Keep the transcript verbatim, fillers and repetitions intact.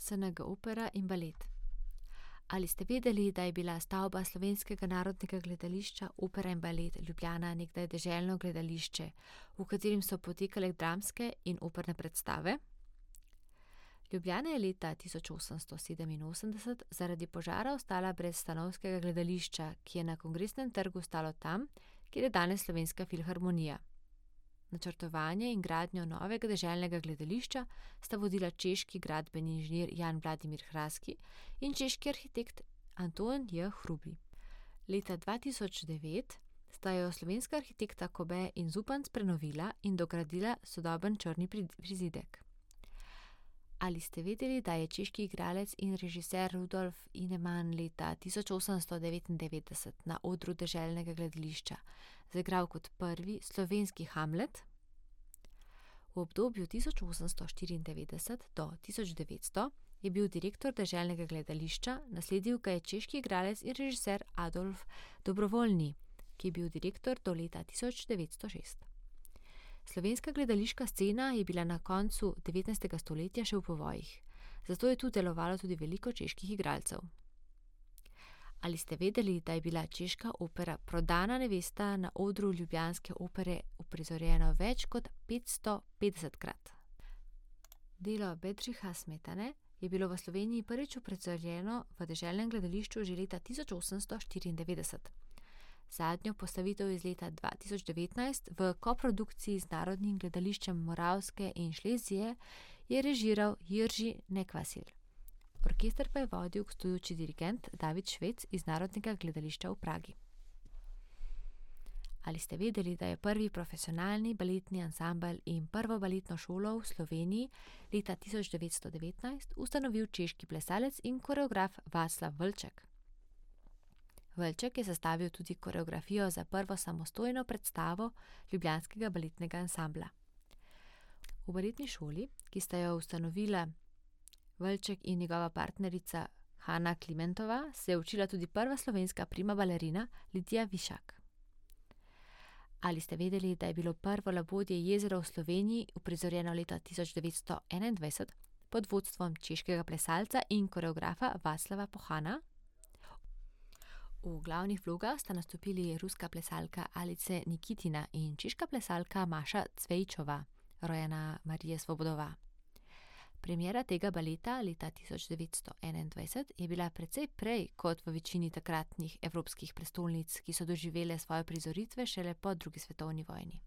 S N G Opera in balet. Ali ste vedeli, da je bila stavba Slovenskega narodnega gledališča Opera in balet Ljubljana nekdaj deželno gledališče, v katerem so potekale dramske in operne predstave? Ljubljana je leta tisoč osemsto sedeminosemdeset zaradi požara ostala brez stanovskega gledališča, ki je na Kongresnem trgu stalo tam, kjer je danes Slovenska filharmonija. Načrtovanje in gradnjo novega deželnega gledališča sta vodila češki gradbeni inženir Jan Vladimir Hraski in češki arhitekt Anton J. Hrubý. Leta dva tisoč devet sta jo slovenska arhitekta Kobe in Zupanc prenovila in dogradila sodoben črni prizidek. Ali ste vedeli, da je češki igralec in režiser Rudolf Ineman leta tisoč osemsto devetindevetdeset na odru deželnega gledališča zaigral kot prvi slovenski Hamlet? V obdobju tisoč osemsto štiriindevetdeset do tisoč devetsto je bil direktor deželnega gledališča, nasledil ga je češki igralec in režiser Adolf Dobrovoljni, ki je bil direktor do leta tisoč devetsto šest. Slovenska gledališka scena je bila na koncu devetnajstega stoletja še v povojih, zato je tu delovalo tudi veliko čeških igralcev. Ali ste vedeli, da je bila češka opera Prodana nevesta na odru ljubljanske opere uprizorjena več kot petsto petdesetkrat? Delo Bedřicha Smetane je bilo v Sloveniji prvič uprizorjeno v deželnem gledališču že leta tisoč osemsto štiriindevetdeset. Zadnjo postavitev iz leta dva tisoč devetnajst v koprodukciji z Narodnim gledališčem Moravske in Šlezije je režiral Jiří Nekvasil. Orkester pa je vodil gostujoči dirigent David Švec iz Narodnega gledališča v Pragi. Ali ste vedeli, da je prvi profesionalni baletni ansambel in prvo baletno šolo v Sloveniji leta tisoč devetsto devetnajst ustanovil češki plesalec in koreograf Václav Vlček? Vlček je sestavil tudi koreografijo za prvo samostojno predstavo ljubljanskega baletnega ansambla. V baletni šoli, ki sta jo ustanovila Vlček in njegova partnerica Hanna Klimentova, se je učila tudi prva slovenska prima balerina Lidija Višak. Ali ste vedeli, da je bilo prvo labodje jezero v Sloveniji uprizorjeno leta tisoč devetsto enaindvajset pod vodstvom češkega plesalca in koreografa Václava Pohana? V glavnih vlogah sta nastopili ruska plesalka Alice Nikitina in češka plesalka Maša Cvejčová, rojena Marija Svobodová. Premiera tega baleta leta tisoč devetsto enaindvajset je bila precej prej kot v večini takratnih evropskih prestolnic, ki so doživele svoje prizoritve šele po drugi svetovni vojni.